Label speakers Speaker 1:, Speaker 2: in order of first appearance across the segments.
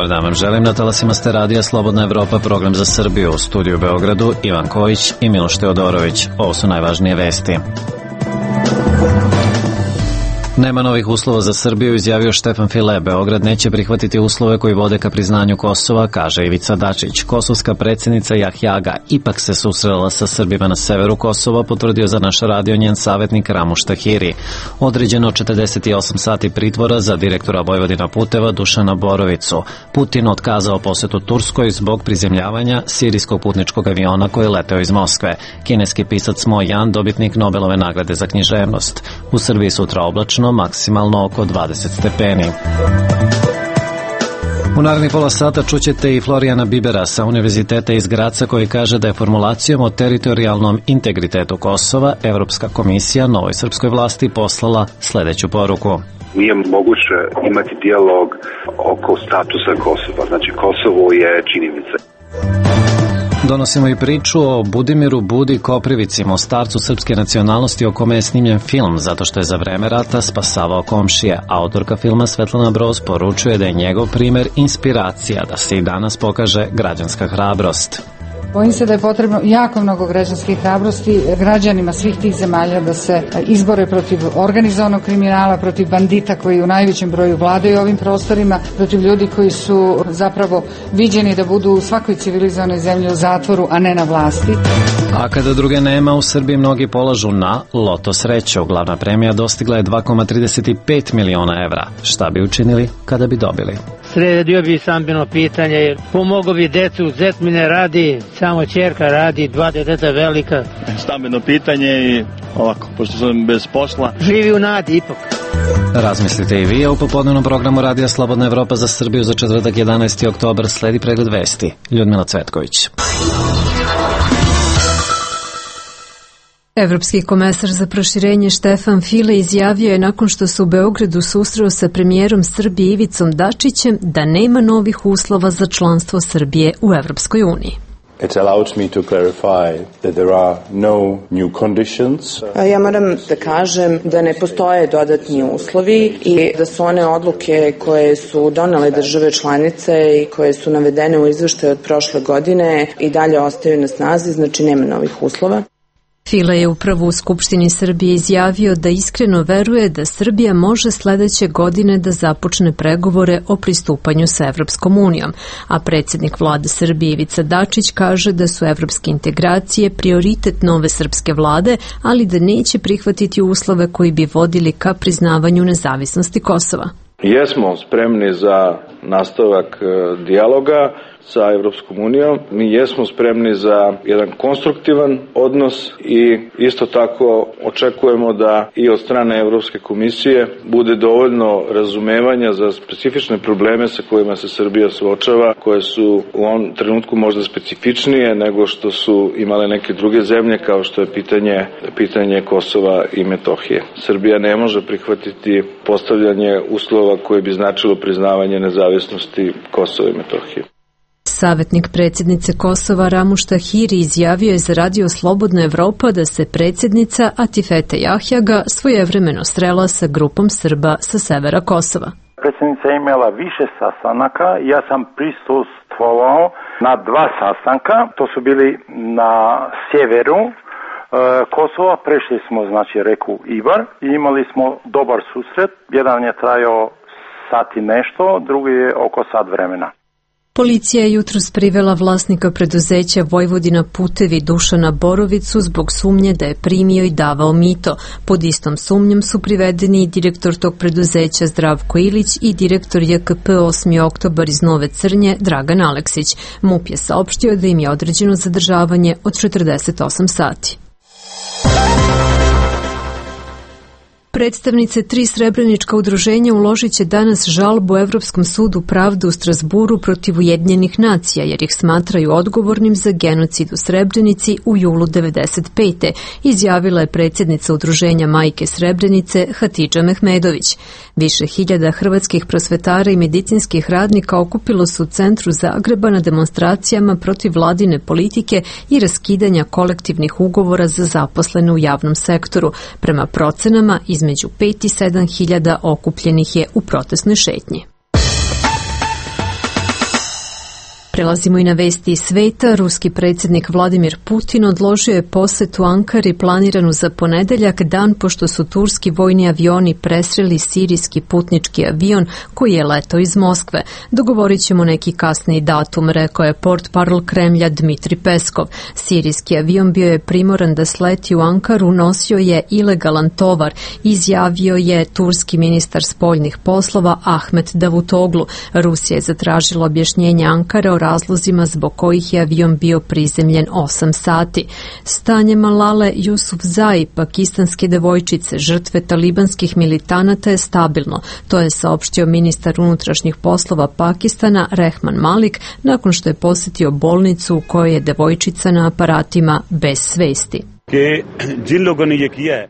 Speaker 1: Dobar dan vam želim, na talasima ste radija Slobodna Evropa, program za Srbiju, u studiju u Beogradu Ivan Kojić i Miloš Teodorović. Ovo su najvažnije vesti. Nema novih uslova za Srbiju, izjavio Štefan File. Beograd neće prihvatiti uslove koji vode ka priznanju Kosova, kaže Ivica Dačić. Kosovska predsjednica Jahjaga ipak se susrela sa Srbima na severu Kosova, potvrdio za naš radio njen savjetnik Ramuš Tahiri. Određeno 48 sati pritvora za direktora Vojvodina puteva Dušana Borovicu. Putin otkazao posetu Turskoj zbog prizemljavanja sirijskog putničkog aviona koji je leteo iz Moskve. Kineski pisac Mo Yan, dobitnik Nobelove nagrade za književnost. U Srbiji sutra oblačno, maksimalno oko 20 stepeni. U narednih pola sata čućete i Florijana Bibera sa Univerziteta iz Graca koji kaže da je formulacijom o teritorijalnom integritetu Kosova Evropska komisija novoj srpskoj vlasti poslala sledeću poruku.
Speaker 2: Nije moguće imati dijalog oko statusa Kosova. Znači Kosovo je činjenica.
Speaker 1: Donosimo i priču o Budimiru Budi Koprivici, Mostarcu srpske nacionalnosti o kome je snimljen film zato što je za vreme rata spasavao komšije. Autorka filma Svetlana Broz poručuje da je njegov primer inspiracija da se i danas pokaže građanska hrabrost.
Speaker 3: Bojim se da je potrebno jako mnogo građanske hrabrosti građanima svih tih zemalja da se izbore protiv organizovanog kriminala, protiv bandita koji u najvećem broju vladaju ovim prostorima, protiv ljudi koji su zapravo viđeni da budu u svakoj civilizovanoj zemlji u zatvoru, a ne na vlasti.
Speaker 1: A kada druge nema, u Srbiji mnogi polažu na loto sreću. Glavna premija dostigla je 2,35 miliona evra. Šta bi učinili kada bi dobili?
Speaker 4: Sredio bi stambeno pitanje, pomogao bi decu, zet mi ne radi, samo ćerka radi, 2 deteta velika.
Speaker 5: Stambeno pitanje i ovako, pošto sam bez posla.
Speaker 4: Živi u nadi ipak.
Speaker 1: Razmislite i vi, a u popodnevnom programu Radija Slobodna Evropa za Srbiju za četvrtak 11. oktobar sledi pregled vesti. Ljudmila Cvetković.
Speaker 6: Evropski komesar za proširenje Štefan File izjavio je nakon što se u Beogradu susreo sa premijerom Srbije Ivicom Dačićem da nema novih uslova za članstvo Srbije u Evropskoj uniji.
Speaker 7: It allows me to clarify that there are no new conditions.
Speaker 8: Ja moram da kažem da ne postoje dodatni uslovi i da su one odluke koje su donele države članice i koje su navedene u izveštaju od prošle godine i dalje ostaju na snazi, znači nema novih uslova.
Speaker 6: File je upravo u Skupštini Srbije izjavio da iskreno veruje da Srbija može sledeće godine da započne pregovore o pristupanju sa Evropskom unijom, a predsjednik vlade Srbije Ivica Dačić kaže da su evropske integracije prioritet nove srpske vlade, ali da neće prihvatiti uslove koji bi vodili ka priznavanju nezavisnosti Kosova.
Speaker 7: Jesmo spremni za nastavak dijaloga sa Evropskom unijom. Mi jesmo spremni za jedan konstruktivan odnos i isto tako očekujemo da i od strane Evropske komisije bude dovoljno razumevanja za specifične probleme sa kojima se Srbija suočava, koje su u ovom trenutku možda specifičnije nego što su imale neke druge zemlje, kao što je pitanje Kosova i Metohije. Srbija ne može prihvatiti postavljanje uslova koje bi značilo priznavanje nezavisnosti Kosova i Metohije.
Speaker 6: Savjetnik predsjednice Kosova Ramuš Tahiri izjavio je za radio Slobodna Evropa da se predsjednica Atifete Jahjaga svojevremeno srela sa grupom Srba sa severa Kosova.
Speaker 9: Predsjednica je imala više sastanaka, ja sam prisustvovao na 2 sastanka, to su bili na sjeveru Kosova, prešli smo znači reku Ibar i imali smo dobar susret, jedan je trajao sat i nešto, drugi je oko sat vremena.
Speaker 6: Policija je jutros privela vlasnika preduzeća Vojvodina putevi Dušana Borovicu zbog sumnje da je primio i davao mito. Pod istom sumnjom su privedeni i direktor tog preduzeća Zdravko Ilić i direktor JKP 8. oktobar iz Nove Crnje Dragan Aleksić. MUP je saopštio da im je određeno zadržavanje od 48 sati. Predstavnice 3 srebrenička udruženja uložit će danas žalbu Evropskom sudu pravde u Strasburu protiv Ujedinjenih nacija, jer ih smatraju odgovornim za genocid u Srebrenici u julu 1995. Izjavila je predsjednica udruženja Majke Srebrenice Hatidža Mehmedović. Više hiljada hrvatskih prosvetara i medicinskih radnika okupilo se u centru Zagreba na demonstracijama protiv vladine politike i raskidanja kolektivnih ugovora za zaposlene u javnom sektoru. Prema procenama, između 5 i 7 hiljada okupljenih je u protestnoj šetnji. Prelazimo i na vesti iz sveta. Ruski predsjednik Vladimir Putin odložio je posetu Ankari planiranu za ponedeljak, dan pošto su turski vojni avioni presreli sirijski putnički avion koji je letao iz Moskve. Dogovorit ćemo neki kasniji datum, rekao je portparol Kremlja Dmitri Peskov. Sirijski avion bio je primoran da sleti u Ankaru, nosio je ilegalan tovar, izjavio je turski ministar spoljnih poslova Ahmet Davutoglu. Rusija je zatražila objašnjenje Ankare o razlozima zbog kojih je avion bio prizemljen 8 sati. Stanje Malale Jusufzai, pakistanske devojčice, žrtve talibanskih militanata, je stabilno. To je saopštio ministar unutrašnjih poslova Pakistana Rehman Malik nakon što je posjetio bolnicu u kojoj je devojčica na aparatima bez svesti.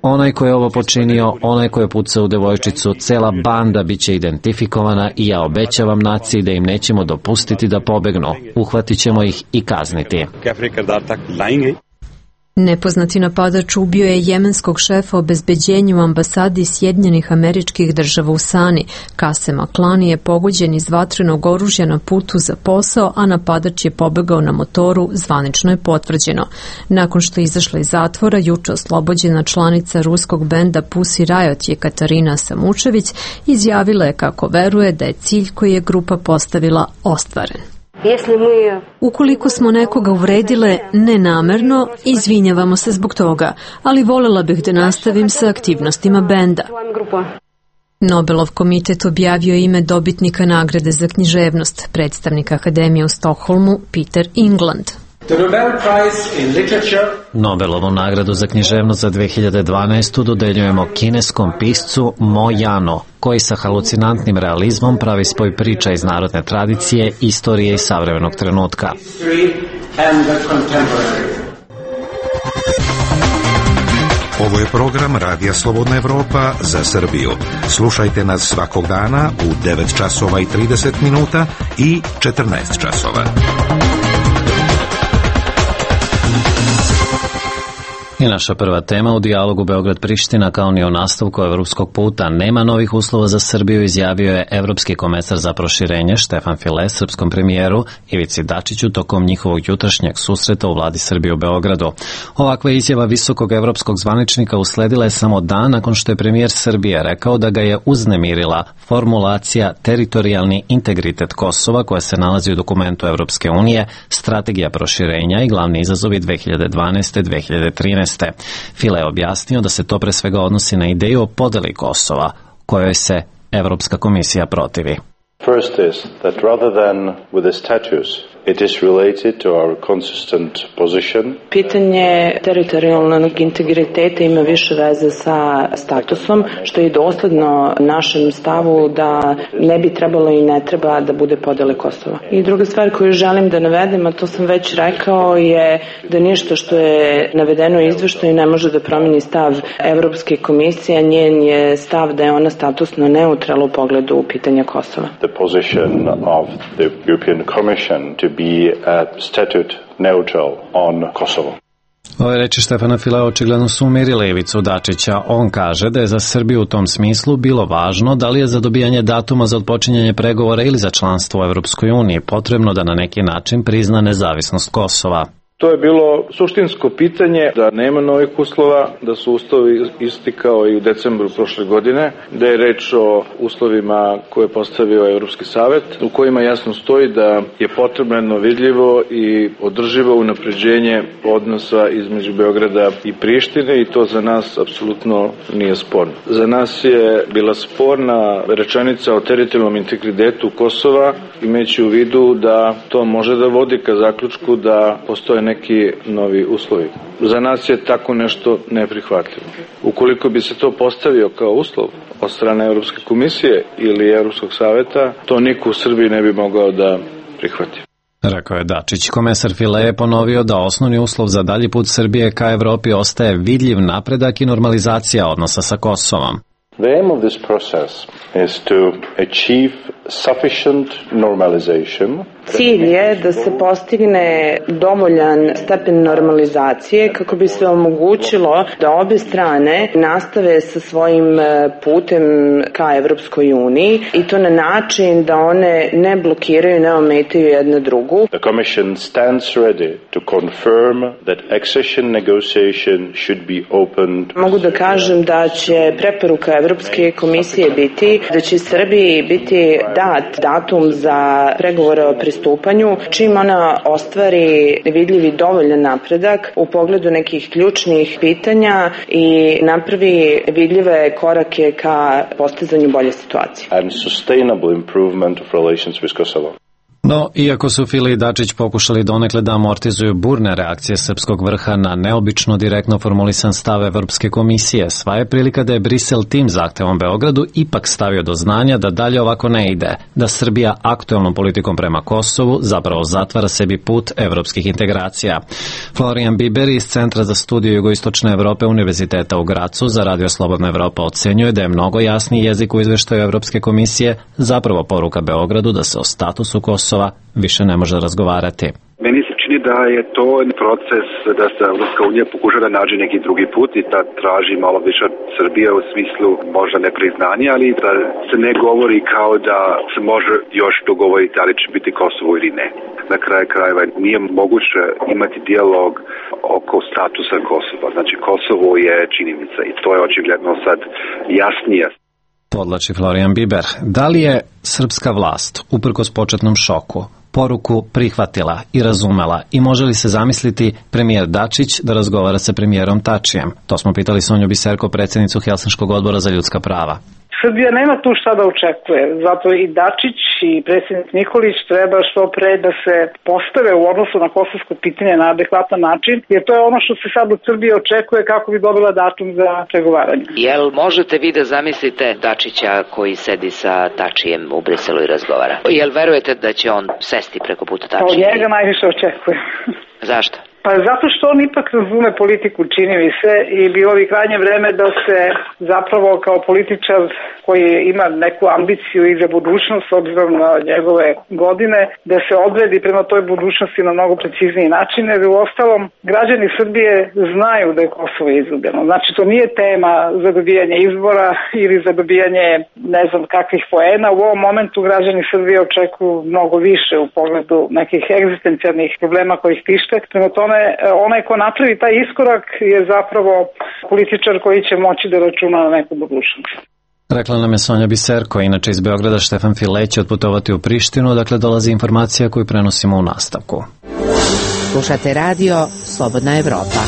Speaker 1: Onaj ko je ovo počinio, onaj ko je pucao u devojčicu, cela banda biće identifikovana i ja obećavam naciji da im nećemo dopustiti da pobegnu. Uhvatit ćemo ih i kazniti.
Speaker 6: Nepoznati napadač ubio je jemenskog šefa obezbeđenja u ambasadi Sjedinjenih Američkih Država u Sani. Kasem Aklani je pogođen iz vatrenog oružja na putu za posao, a napadač je pobegao na motoru, zvanično je potvrđeno. Nakon što je izašla iz zatvora, juče oslobođena članica ruskog benda Pussy Riot Jekaterina Samučević izjavila je kako veruje da je cilj koji je grupa postavila ostvaren. Ukoliko smo nekoga uvredile nenamerno, izvinjavamo se zbog toga, ali voljela bih da nastavim sa aktivnostima benda. Nobelov komitet objavio ime dobitnika nagrade za književnost, predstavnik Akademije u Stokholmu Peter England.
Speaker 1: Nobelovu nagradu za književnost za 2012. dodeljujemo kineskom piscu Mo Yano, koji sa halucinantnim realizmom pravi spoj priča iz narodne tradicije, istorije i savremenog trenutka.
Speaker 10: Ovo je program Radija Slobodna Evropa za Srbiju. Slušajte nas svakog dana u 9 časova i 30 minuta i 14 časova.
Speaker 1: I naša prva tema u dijalogu Beograd-Priština, kao ni o nastavku evropskog puta, nema novih uslova za Srbiju, izjavio je evropski komesar za proširenje Štefan File srpskom premijeru Ivici Dačiću tokom njihovog jutrašnjeg susreta u vladi Srbije u Beogradu. Ovakva izjava visokog evropskog zvaničnika usledila je samo dan nakon što je premijer Srbije rekao da ga je uznemirila formulacija teritorijalni integritet Kosova koja se nalazi u dokumentu Evropske unije, strategija proširenja i glavni izazovi 2012-2013. File je objasnio da se to pre svega odnosi na ideju o podeli Kosova, kojoj se Evropska komisija protivi.
Speaker 11: First is that rather than with the status, it is related to our consistent position.
Speaker 8: Pitanje teritorijalnog integriteta ima više veze sa statusom, što je dosledno našem stavu da ne bi trebalo i ne treba da bude podele Kosova. I druga stvar koju želim da navedem, a to sam već rekao, je da ništa što je navedeno u izveštaju ne može da promeni stav Evropske komisije, njen je stav da je ona statusno neutralna u pogledu pitanja Kosova.
Speaker 11: The position of the European Commission to be statute neutral on Kosovo.
Speaker 1: Ove reči Štefana Filea očigledno su umirile Ivicu Dačića. On kaže da je za Srbiju u tom smislu bilo važno da li je za dobijanje datuma za odpočinjanje pregovora ili za članstvo u Evropskoj uniji potrebno da na neki način prizna nezavisnost Kosova.
Speaker 7: To je bilo suštinsko pitanje, da nema novih uslova, da su uslovi isti kao i u decembru prošle godine, da je reč o uslovima koje je postavio Evropski savet, u kojima jasno stoji da je potrebno vidljivo i održivo unapređenje odnosa između Beograda i Prištine i to za nas apsolutno nije sporno. Za nas je bila sporna rečenica o teritorijalnom integritetu Kosova, imajući u vidu da to može da vodi ka zaključku da postoje neki novi uslovi. Za nas je tako nešto neprihvatljivo. Ukoliko bi se to postavio kao uslov od strane Evropske komisije ili Evropskog saveta, to niko u Srbiji ne bi mogao da prihvati.
Speaker 1: Rekao je Dačić. Komesar File je ponovio da osnovni uslov za dalji put Srbije ka Evropi ostaje vidljiv napredak i normalizacija odnosa sa Kosovom.
Speaker 11: The aim of this process is to achieve sufficient normalization.
Speaker 8: Cilj je da se postigne dovoljan stepen normalizacije kako bi se omogućilo da obe strane nastave sa svojim putem ka Evropskoj uniji i to na način da one ne blokiraju, ne ometaju jedna drugu.
Speaker 11: The Commission stands ready to confirm that accession negotiation should be opened.
Speaker 8: Mogu da kažem da će preporuka Evropske komisije biti da će Srbiji biti dat datum za pregovore o pristupanju, čim ona ostvari vidljivi dovoljan napredak u pogledu nekih ključnih pitanja i napravi vidljive korake ka postizanju bolje situacije.
Speaker 11: And sustainable improvement of relations with Kosovo.
Speaker 1: No, iako su File i Dačić pokušali donekle da amortizuju burne reakcije srpskog vrha na neobično direktno formulisan stav Evropske komisije, sva je prilika da je Brisel tim zahtevom Beogradu ipak stavio do znanja da dalje ovako ne ide, da Srbija aktuelnom politikom prema Kosovu zapravo zatvara sebi put evropskih integracija. Florian Biber iz Centra za studiju jugoistočne Evrope Univerziteta u Gracu za Radio Slobodna Evropa ocenjuje da je mnogo jasniji jezik u izveštaju Evropske komisije zapravo poruka Beogradu da se o statusu Kosova više ne može razgovarati.
Speaker 2: Meni se čini da je to proces da se Evropska unija pokuša da nađe neki drugi put i da traži malo više od Srbije u smislu možda ne priznanja, ali da se ne govori kao da se može još dogovoriti da li će biti Kosovo ili ne. Na kraju krajeva nije moguće imati dijalog oko statusa Kosova. Znači Kosovo je činjenica i to je očigledno sad jasnije.
Speaker 1: Podlači Florian Biber. Da li je srpska vlast, uprkos početnom šoku, poruku prihvatila i razumela i može li se zamisliti premijer Dačić da razgovara sa premijerom Tačijem? To smo pitali Sonju Biserko, predsjednicu Helsinškog odbora za ljudska prava.
Speaker 12: Srbija nema tu šta da očekuje, zato i Dačić i predsjednik Nikolić treba što pre da se postave u odnosu na kosovsko pitanje na adekvatan način, jer to je ono što se sad od Srbije očekuje kako bi dobila datum za pregovaranje.
Speaker 13: Jel možete vi da zamislite Dačića koji sedi sa Tačijem u Briselu i razgovara? Jel verujete da će on sesti preko puta Tačija?
Speaker 12: Od njega najviše očekuje.
Speaker 13: Zašto?
Speaker 12: Pa zato što on ipak razume politiku, čini mi se, i bilo bi krajnje vreme da se zapravo kao političar koji ima neku ambiciju i za budućnost, s obzirom na njegove godine, da se odredi prema toj budućnosti na mnogo precizniji način, jer u ostalom građani Srbije znaju da je Kosovo izgubljeno. Znači to nije tema za dobijanje izbora ili za dobijanje ne znam kakvih poena. U ovom momentu građani Srbije očekuju mnogo više u pogledu nekih egzistencijalnih problema koji ih tište. Prema tome, onaj ko napravi taj iskorak je zapravo političar koji će moći da računa na neku budućnost.
Speaker 1: Rekla nam je Sonja Biserko, inače iz Beograda Štefan File će otputovati u Prištinu, dakle dolazi informacija koju prenosimo u nastavku.
Speaker 14: Slušate radio Slobodna Evropa.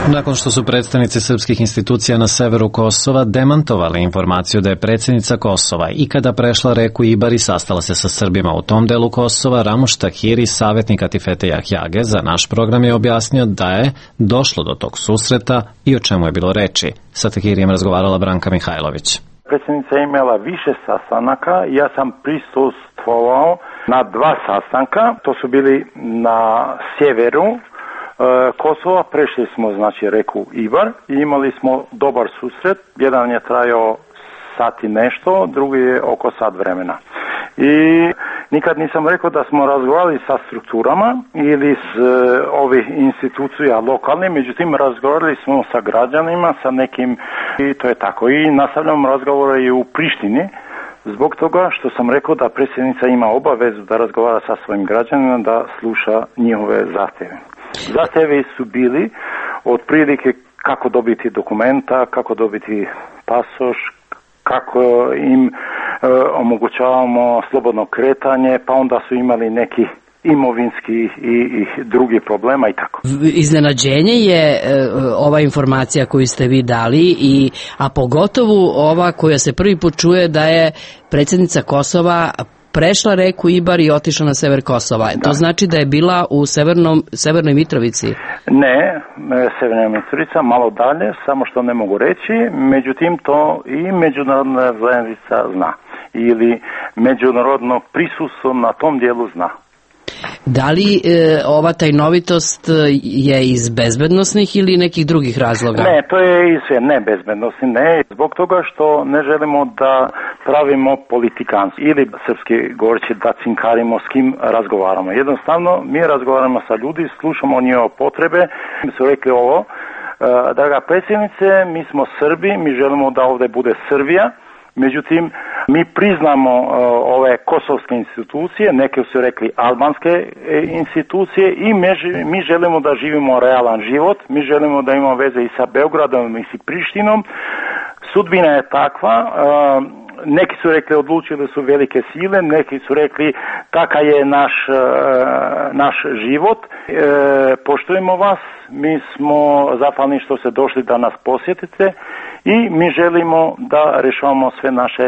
Speaker 1: Nakon što su predstavnici srpskih institucija na severu Kosova demantovali informaciju da je predsjednica Kosova ikada prešla reku Ibar i sastala se sa Srbima u tom delu Kosova, Ramuš Tahiri, savjetnik Atifete Jahjage, za naš program je objasnio da je došlo do tog susreta i o čemu je bilo reči. Sa Tahirijem razgovarala Branka Mihajlović.
Speaker 9: Predsjednica je imala više sastanaka, ja sam prisustvovao na 2 sastanka, to su bili na sjeveru Kosova, prešli smo znači reku Ibar i imali smo dobar susret, jedan je trajao sat i nešto, drugi je oko sat vremena. I nikad nisam rekao da smo razgovarali sa strukturama ili s ovih institucija lokalne, međutim razgovarali smo sa građanima, sa nekim i to je tako. I nastavljamo razgovore i u Prištini, zbog toga što sam rekao da predsjednica ima obavezu da razgovara sa svojim građanima, da sluša njihove zahtjeve. Zahtjevi su bili otprilike kako dobiti dokumenta, kako dobiti pasoš, kako im omogućavamo slobodno kretanje, pa onda su imali neki imovinski i drugi problema i tako.
Speaker 14: Iznenađenje je ova informacija koju ste vi dali, a pogotovo ova koja se prvi put čuje da je predsjednica Kosova prešla reku Ibar i otišla na sever Kosova. Da. To znači da je bila u Severnoj Mitrovici?
Speaker 9: Ne, Severna Mitrovica, malo dalje, samo što ne mogu reći, međutim to i međunarodna zajednica zna ili međunarodno prisustvo na tom dijelu zna.
Speaker 14: Da li ova tajnovitost je iz bezbednosnih ili nekih drugih razloga?
Speaker 9: Ne, to je sve ne bezbednosti, ne. Zbog toga što ne želimo da pravimo politikanstvo ili srpski govoreći da cinkarimo s kim razgovaramo. Jednostavno, mi razgovaramo sa ljudi, slušamo njihove potrebe. Mi su rekli ovo, draga predsjednice, mi smo Srbi, mi želimo da ovdje bude Srbija. Međutim, mi priznamo ove kosovske institucije, neke su rekli albanske institucije i mi želimo da živimo realan život, mi želimo da imamo veze i sa Beogradom i sa Prištinom. Sudbina je takva, neki su rekli odlučili su velike sile, neki su rekli takav je naš život, poštujemo vas, mi smo zahvalni što ste došli da nas posjetite i mi želimo da rješavamo sve naše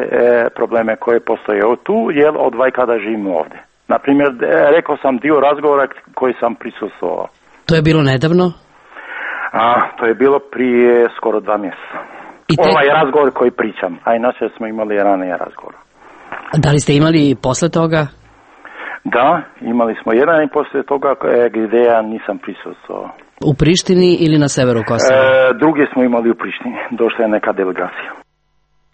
Speaker 9: probleme koje postoje tu, jer od kada živimo ovdje. Naprimjer, rekao sam dio razgovora koji sam prisustvovao.
Speaker 14: To je bilo nedavno?
Speaker 9: To je bilo prije skoro 2 mjeseca. Ovaj razgovor koji pričam, a inače smo imali ranije razgovor.
Speaker 14: Da li ste imali posle toga?
Speaker 9: Da, imali smo jedan i posle toga gdje ja nisam prisustvovao.
Speaker 14: U Prištini ili na severu Kosova?
Speaker 9: Druge smo imali u Prištini, došla je neka delegacija.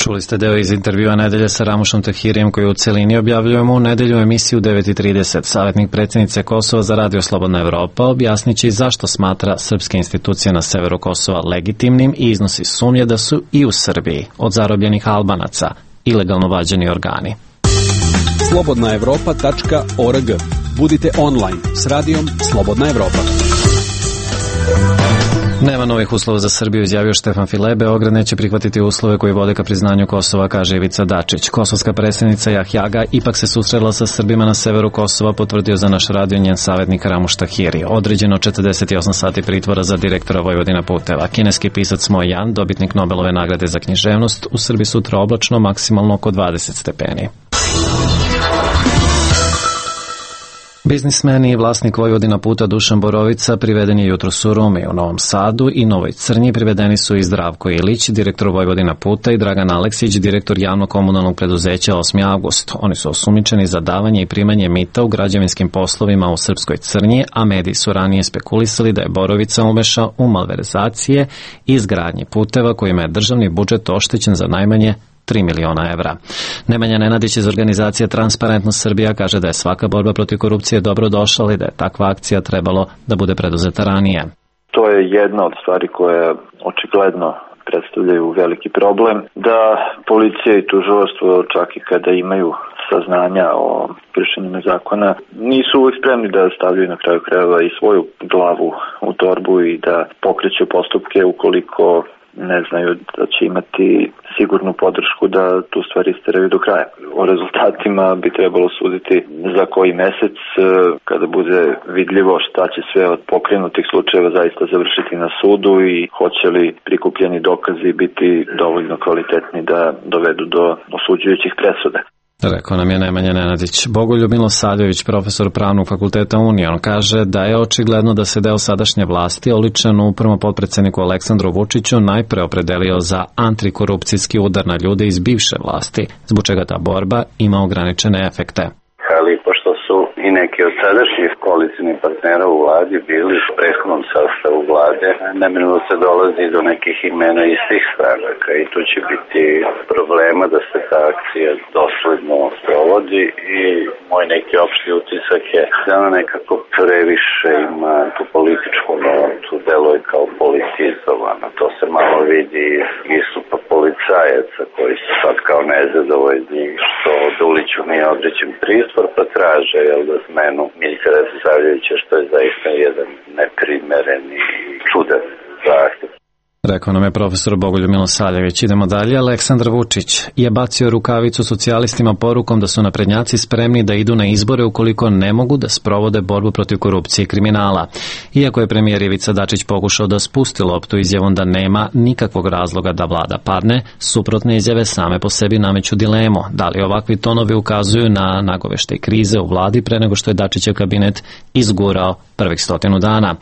Speaker 1: Čuli ste deo iz intervjua Nedelje sa Ramušom Tahirijem koji u celini objavljujemo u nedelju emisiju 9.30. Savjetnik predsjednice Kosova za Radio Slobodna Evropa objasnići zašto smatra srpske institucije na severu Kosova legitimnim i iznosi sumnje da su i u Srbiji od zarobljenih Albanaca ilegalno vađeni organi.
Speaker 15: slobodnaevropa.org. Budite online s radijom Slobodna Evropa.
Speaker 1: Nema novih uslova za Srbiju, izjavio Štefan File. Beograd neće prihvatiti uslove koji vode ka priznanju Kosova, kaže Ivica Dačić. Kosovska predsjednica Jahjaga ipak se susrela sa Srbima na severu Kosova, potvrdio za naš radio njen savjetnik Ramuš Tahiri. Određeno 48 sati pritvora za direktora Vojvodina puteva. Kineski pisac Mo Yan, dobitnik Nobelove nagrade za književnost, u Srbiji sutra oblačno, maksimalno oko 20 stepeni. Biznismen i vlasnik Vojvodina puta Dušan Borovica priveden je jutros u Rumi. U Novom Sadu i Novoj Crnji privedeni su i Zdravko Ilić, direktor Vojvodina puta, i Dragan Aleksić, direktor javnog komunalnog preduzeća 8. avgust. Oni su osumnjičeni za davanje i primanje mita u građevinskim poslovima u Srpskoj Crnji, a mediji su ranije spekulisali da je Borovica umešao u malverzacije i izgradnji puteva kojima je državni budžet oštećen za najmanje 3 miliona evra. Nemanja Nenadić iz organizacije Transparentnost Srbija kaže da je svaka borba protiv korupcije dobro došla i da je takva akcija trebalo da bude preduzeta ranije.
Speaker 16: To je jedna od stvari koje očigledno predstavljaju veliki problem, da policija i tužilaštvo čak i kada imaju saznanja o kršenju zakona nisu uvijek spremni da stavljaju na kraju krajeva i svoju glavu u torbu i da pokreću postupke ukoliko ne znaju da će imati sigurnu podršku da tu stvari isteraju do kraja. O rezultatima bi trebalo suditi za koji mesec, kada bude vidljivo šta će sve od pokrenutih slučajeva zaista završiti na sudu i hoće li prikupljeni dokazi biti dovoljno kvalitetni da dovedu do osuđujućih presuda.
Speaker 1: Rekao nam je Nemanja Nenadić. Bogoljub Milosavljević, profesor Pravnog fakulteta Union, kaže da je očigledno da se deo sadašnje vlasti, oličen u prvom potpredsjedniku Aleksandru Vučiću, najpre opredelio za antikorupcijski udar na ljude iz bivše vlasti, zbog čega ta borba ima ograničene efekte.
Speaker 17: Ali pošto su i neki od sadašnjih koalicijnih partnera u vladi bili u prethodnom sastavu vlade, neminovno se dolazi do nekih imena iz tih stranaka i tu će biti problema da se ta akcija dosledno sprovodi i moj neki opšti utisak je da ona nekako previše ima tu političku notu, deluje kao politizovana. To se malo vidi iz istupa policajaca koji su sad kao nezadovoljni što Duliću nije određen pritvor, pa traže da smenu Miljka Radosavljevića, što je zaista jedan neprimereni i čudan zahtev.
Speaker 1: Rekao nam je profesor Bogoljub Milosavljević. Idemo dalje. Aleksandar Vučić je bacio rukavicu socijalistima porukom da su naprednjaci spremni da idu na izbore ukoliko ne mogu da sprovode borbu protiv korupcije i kriminala. Iako je premijer Ivica Dačić pokušao da spusti loptu izjavom da nema nikakvog razloga da vlada padne, suprotne izjave same po sebi nameću dilemu. Da li ovakvi tonovi ukazuju na nagoveštaj krize u vladi pre nego što je Dačićev kabinet izgurao prvih 100 dana.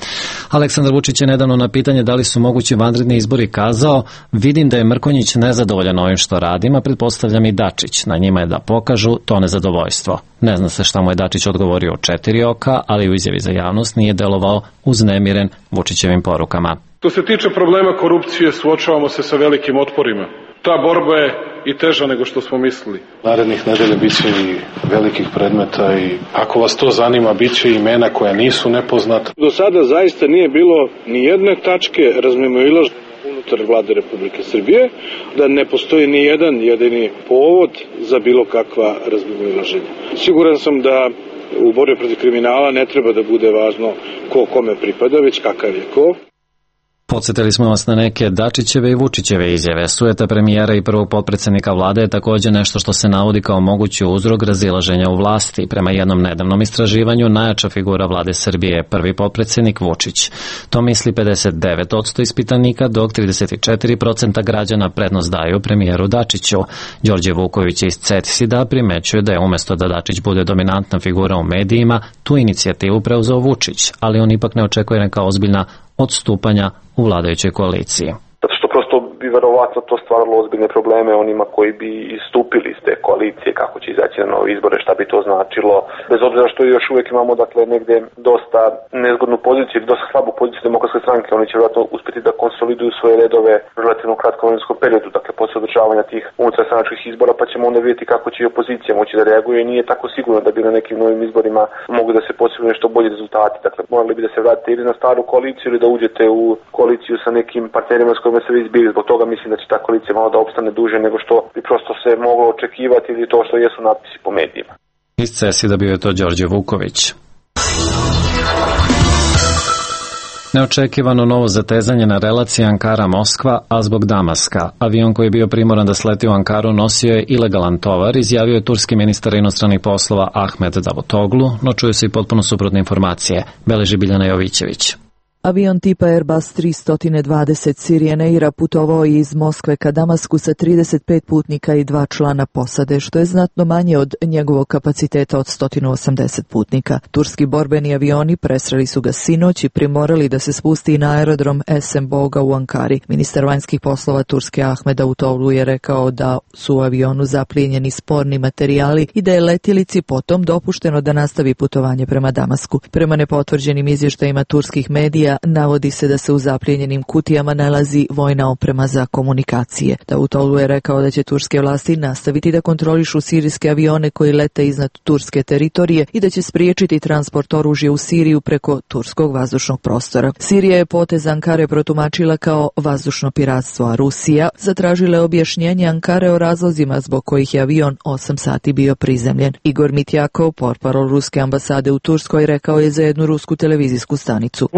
Speaker 1: Aleksandar Vučić je nedavno na pitanje da li su mogući vanredni izbori kazao: vidim da je Mrkonjić nezadovoljan ovim što radim, a pretpostavljam i Dačić. Na njima je da pokažu to nezadovoljstvo. Ne zna se šta mu je Dačić odgovorio u 4 oka, ali u izjavi za javnost nije delovao uznemiren Vučićevim porukama.
Speaker 18: Što se tiče problema korupcije, suočavamo se sa velikim otporima. Ta borba je i teža nego što smo mislili.
Speaker 19: Narednih nedelja bit će i velikih predmeta i ako vas to zanima, bit će imena koja nisu nepoznata.
Speaker 20: Do sada zaista nije bilo ni jedne tačke razmimoilaženja unutar vlade Republike Srbije, da ne postoji ni jedan jedini povod za bilo kakva razmimoilaženja. Siguran sam da u borbi protiv kriminala ne treba da bude važno ko kome pripada, već kakav je ko.
Speaker 1: Podsjetili smo vas na neke Dačićeve i Vučićeve izjave. Sujeta premijera i prvog potpredsednika vlade je također nešto što se navodi kao mogući uzrok razilaženja u vlasti. Prema jednom nedavnom istraživanju, najjača figura vlade Srbije je prvi potpredsednik Vučić. To misli 59% ispitanika, dok 34% građana prednost daju premijeru Dačiću. Đorđe Vuković iz CETIS-a primećuje da je umjesto da Dačić bude dominantna figura u medijima, tu inicijativu preuzeo Vučić, ali on ipak ne očekuje neka ozbiljna odstupanja u vladajućoj koaliciji.
Speaker 21: Zato što prosto bi verovatno to stvaralo ozbiljne probleme onima koji bi istupili iz te koalicije, kako će izaći na nove izbore, šta bi to značilo. Bez obzira što još uvijek imamo negde dosta nezgodnu poziciju ili dosta slabu poziciju Demokratske stranke, oni će vjerojatno uspjeti da konsoliduju svoje redove u relativno kratkom vremenskom periodu, posle održavanja tih unutarstranačkih izbora, pa ćemo onda vidjeti kako će i opozicija moći da reaguje i nije tako sigurno da bi na nekim novim izborima mogli da se postignu nešto bolji rezultati. Morali bi da se vratite ili na staru koaliciju ili da uđete u koaliciju sa nekim partnerima s kojima se vi izbili. Zbog toga mislim da će ta koalicija malo da opstane duže nego što bi prosto se moglo očekivati ili to što jesu natpisi po medijima.
Speaker 1: Iz CESID-a bio je to Đorđe Vuković. Neočekivano novo zatezanje na relaciji Ankara-Moskva, a zbog Damaska. Avion koji je bio primoran da sleti u Ankaru nosio je ilegalan tovar, izjavio je turski ministar inostranih poslova Ahmed Davutoglu, no čuju se i potpuno suprotne informacije, beleži Biljana Jovićević.
Speaker 22: Avion tipa Airbus 320 Sirian Aira putovao je iz Moskve ka Damasku sa 35 putnika i 2 člana posade, što je znatno manje od njegovog kapaciteta od 180 putnika. Turski borbeni avioni presreli su ga sinoć i primorali da se spusti na aerodrom Esen Boga u Ankari. Ministar vanjskih poslova Turske Ahmed Davutoglu je rekao da su u avionu zaplijenjeni sporni materijali i da je letjelici potom dopušteno da nastavi putovanje prema Damasku. Prema nepotvrđenim izvještajima turskih medija, navodi se da se u zaplijenjenim kutijama nalazi vojna oprema za komunikacije. Davutoglu je rekao da će turske vlasti nastaviti da kontrolišu sirijske avione koji lete iznad turske teritorije i da će spriječiti transport oružja u Siriju preko turskog vazdušnog prostora. Sirija je potez Ankare protumačila kao vazdušno piratstvo, a Rusija zatražila je objašnjenje Ankare o razlozima zbog kojih je avion 8 sati bio prizemljen. Igor Mitjakov, portparol ruske ambasade u Turskoj, rekao je za jednu rusku televizijsku stanicu.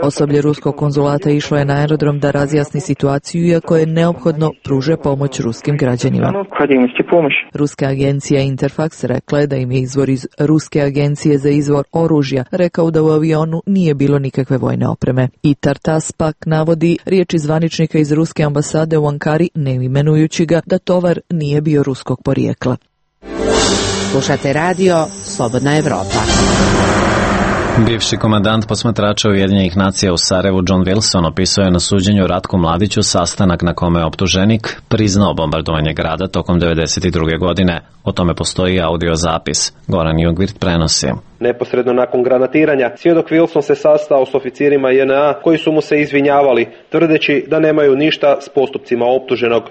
Speaker 22: Osoblje ruskog konzulata išlo je na aerodrom da razjasni situaciju, iako je neophodno pruže pomoć ruskim građanima. Ruska agencija Interfax rekla je da im je izvor iz Ruske agencije za izvor oružja rekao da u avionu nije bilo nikakve vojne opreme. I Tartas pak navodi riječi zvaničnika iz ruske ambasade u Ankari, ne imenujući ga, da tovar nije bio ruskog porijekla.
Speaker 23: Slušate radio Slobodna Evropa.
Speaker 1: Bivši komandant posmatrača Ujedinjenih nacija u Sarajevu John Wilson opisao je na suđenju Ratku Mladiću sastanak na kome je optuženik priznao bombardovanje grada tokom 1992. godine. O tome postoji audio zapis. Goran Jugvirt prenosi.
Speaker 24: Neposredno nakon granatiranja, svjedok Wilson se sastao s oficirima JNA koji su mu se izvinjavali, tvrdeći da nemaju ništa s postupcima optuženog.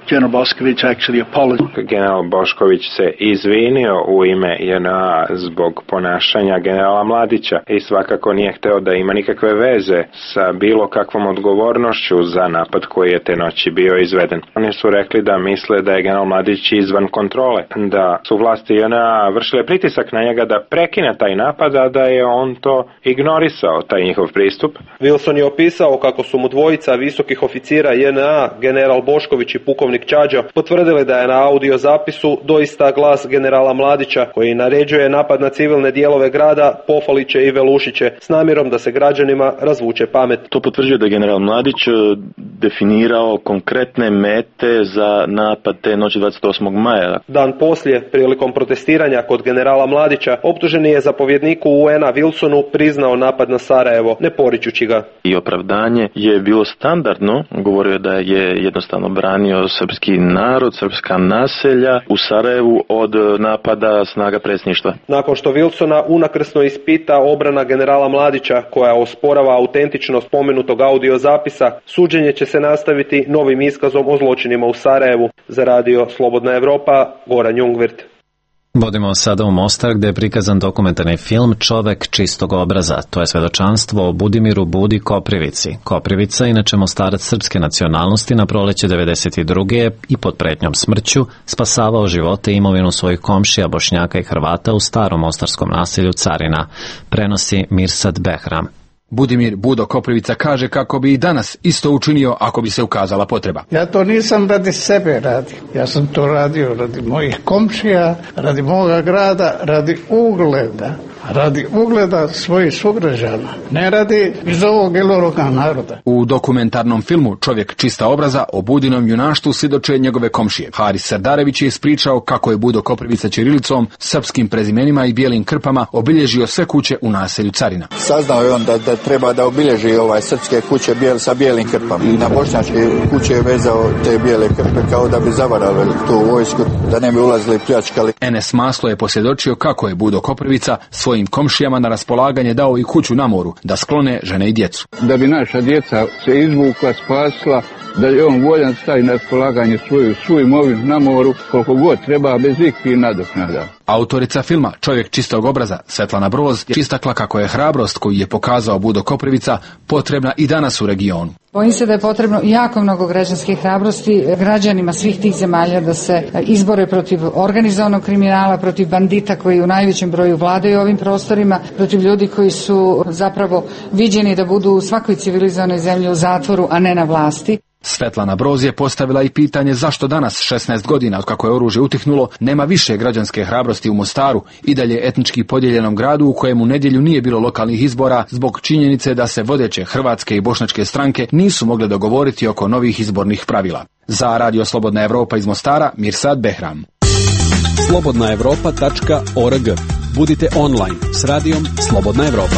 Speaker 25: General Bošković se izvinio u ime JNA zbog ponašanja generala Mladića i svakako nije hteo da ima nikakve veze sa bilo kakvom odgovornošću za napad koji je te noći bio izveden. Oni su rekli da misle da je general Mladić izvan kontrole, da su vlasti JNA vršile pritisak na njega da prekine taj napad, a da je on to ignorisao, taj njihov pristup.
Speaker 24: Wilson je opisao kako su mu dvojica visokih oficira JNA, general Bošković i pukovnik Čađa, potvrdili da je na audio zapisu doista glas generala Mladića, koji naređuje napad na civilne dijelove grada, Pofaliće i Velušiće, s namjerom da se građanima razvuče pamet.
Speaker 26: To potvrđuje da je general Mladić definirao konkretne mete za napad te noći 28. maja.
Speaker 24: Dan poslije, prilikom protestiranja kod generala Mladića, optuženi je zapovjednik povjereniku UN-a Wilsonu priznao napad na Sarajevo, ne poričući ga.
Speaker 26: I opravdanje je bilo standardno, govorio je da je jednostavno branio srpski narod, srpska naselja u Sarajevu od napada snaga predsjedništva.
Speaker 24: Nakon što Wilsona unakrsno ispita obrana generala Mladića, koja osporava autentičnost spomenutog audio zapisa, suđenje će se nastaviti novim iskazom o zločinima u Sarajevu. Za radio Slobodna Evropa, Goran Jungwirth.
Speaker 1: Vodimo sada u Mostar gde je prikazan dokumentarni film Čovek čistog obraza. To je svedočanstvo o Budimiru Budi Koprivici. Koprivica, inače Mostarac srpske nacionalnosti, na proleće 92. i pod pretnjom smrću spasavao živote i imovinu svojih komšija Bošnjaka i Hrvata u starom mostarskom naselju Carina. Prenosi Mirsad Behram.
Speaker 3: Budimir Budo Koprivica kaže kako bi i danas isto učinio ako bi se ukazala potreba.
Speaker 4: Ja to nisam radi sebe radio. Ja sam to radio radi mojih komšija, radi moga grada, radi ugleda svojih sugrađana, ne radi iz ovog ili onoga naroda.
Speaker 3: U dokumentarnom filmu Čovjek čista obraza o Budinom junaštvu svjedoče njegove komšije. Haris Sardarević je ispričao kako je Budo Koprivica ćirilicom, srpskim prezimenima i bijelim krpama obilježio sve kuće u naselju Carina.
Speaker 5: Saznao je on da treba da obilježi srpske kuće sa bijelim krpama. I na bošnjačke kuće je vezao te bijele krpe kao da bi zavarali tu vojsku, da ne bi ulazili i pljačkali.
Speaker 3: Enes Maslo je posvjedočio kako je Budo Koprivica svojim komšijama na raspolaganje dao i kuću na moru, da sklone žene i djecu.
Speaker 4: Da bi naša djeca se izvukla, spasla, da je on voljan stavi na raspolaganje svoju imovinu na moru koliko god treba, bez ikakvih nadoknada.
Speaker 3: Autorica filma Čovjek čistog obraza, Svetlana Broz, je istakla kako je hrabrost koju je pokazao Budo Koprivica potrebna i danas u regionu.
Speaker 6: Bojim se da je potrebno jako mnogo građanske hrabrosti građanima svih tih zemalja da se izbore protiv organizovanog kriminala, protiv bandita koji u najvećem broju vladaju ovim prostorima, protiv ljudi koji su zapravo viđeni da budu u svakoj civilizovanoj zemlji u zatvoru, a ne na vlasti.
Speaker 3: Svetlana Broz je postavila i pitanje zašto danas, 16 godina od kako je oružje utihnulo, nema više građanske hrabrosti u Mostaru, i dalje etnički podijeljenom gradu u kojem u nedjelju nije bilo lokalnih izbora zbog činjenice da se vodeće hrvatske i bošnjačke stranke nisu mogle dogovoriti oko novih izbornih pravila. Za radio Slobodna Evropa iz Mostara, Mirsad Behram.
Speaker 15: slobodnaevropa.org. Budite online s radijom Slobodna Evropa.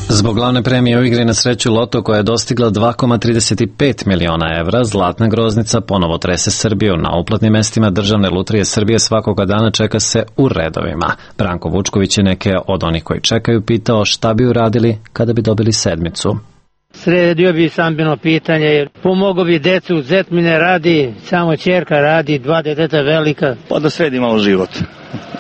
Speaker 1: Zbog glavne premije u igri na sreću Loto koja je dostigla 2,35 miliona evra, Zlatna groznica ponovo trese Srbiju. Na uplatnim mestima Državne lutrije Srbije svakoga dana čeka se u redovima. Branko Vučković je neke od onih koji čekaju pitao šta bi uradili kada bi dobili sedmicu.
Speaker 7: Sredio bi stambeno pitanje, jer pomogao bi decu, zet mi ne radi, samo ćerka radi, 2 deteta velika.
Speaker 10: Pa da sredi malo život.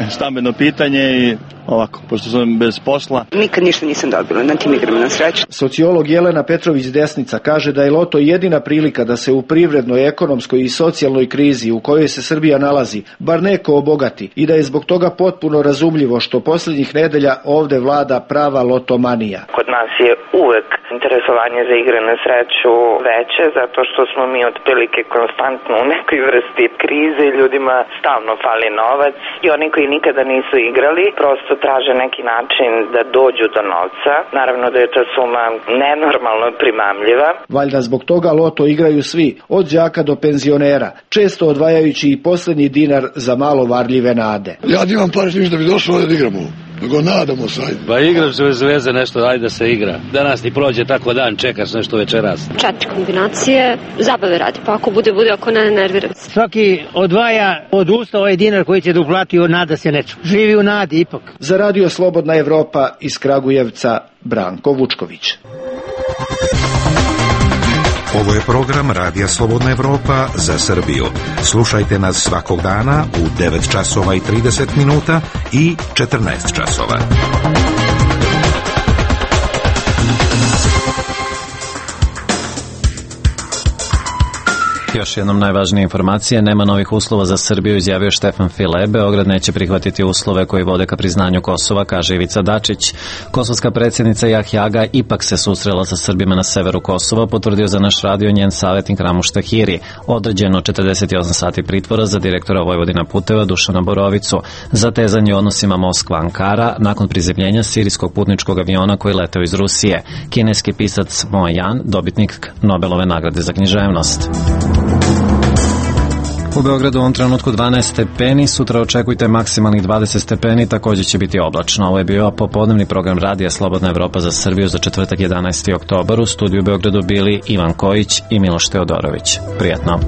Speaker 10: Stambeno pitanje i ovako, pošto sam bez posla.
Speaker 27: Nikad ništa nisam dobila na tim igrama na sreću.
Speaker 28: Sociolog Jelena Petrović Desnica kaže da je Loto jedina prilika da se u privrednoj, ekonomskoj i socijalnoj krizi u kojoj se Srbija nalazi, bar neko obogati, i da je zbog toga potpuno razumljivo što posljednjih nedelja ovde vlada prava lotomanija.
Speaker 29: Kod nas je uvek interesovanje za igre na sreću veće, zato što smo mi otprilike konstantno u nekoj vrsti krize i ljudima stalno fali novac i oni koji nikada nisu igrali prosto traže neki način da dođu do novca. Naravno da je ta suma nenormalno primamljiva.
Speaker 28: Valjda zbog toga Loto igraju svi, od đaka do penzionera, često odvajajući i posljednji dinar za malo varljive nade.
Speaker 30: Ja nimam pare s njim da bi došlo da igramo. Nego nadamo se.
Speaker 31: Pa igraš bez veze nešto, ajde da se igra. Danas ti prođe tako dan, čekaš nešto večeras.
Speaker 32: 4 kombinacije, zabave radi, pa ako bude, ako ne, nervira.
Speaker 7: Svaki odvaja od usta ovaj dinar koji će da uplati, od nada se neču. Živi u nadi ipak.
Speaker 28: Za radio Slobodna Evropa iz Kragujevca, Branko Vučković.
Speaker 33: Ovo je program Radija Slobodna Evropa za Srbiju. Slušajte nas svakog dana u 9 časova i 30 minuta i 14 časova.
Speaker 1: Još jednom najvažnije informacije, nema novih uslova za Srbiju, izjavio Štefan File. Beograd neće prihvatiti uslove koji vode ka priznanju Kosova, kaže Ivica Dačić. Kosovska predsjednica Jahjaga ipak se susrela sa Srbima na severu Kosova, potvrdio za naš radio njen savjetnik Ramuš Tahiri. Određeno 48 sati pritvora za direktora Vojvodina puteva Dušana Borovicu. Zatezanje u odnosima Moskva-Ankara nakon prizemljenja sirijskog putničkog aviona koji leteo iz Rusije. Kineski pisac Mo Yan, dobitnik Nobelove nagrade za književnost. U Beogradu u ovom trenutku 12 stepeni, sutra očekujte maksimalnih 20 stepeni, također će biti oblačno. Ovo je bio popodnevni program Radija Slobodna Evropa za Srbiju za četvrtak 11. oktobar. U studiju u Beogradu bili Ivan Kojić i Miloš Teodorović. Prijatno.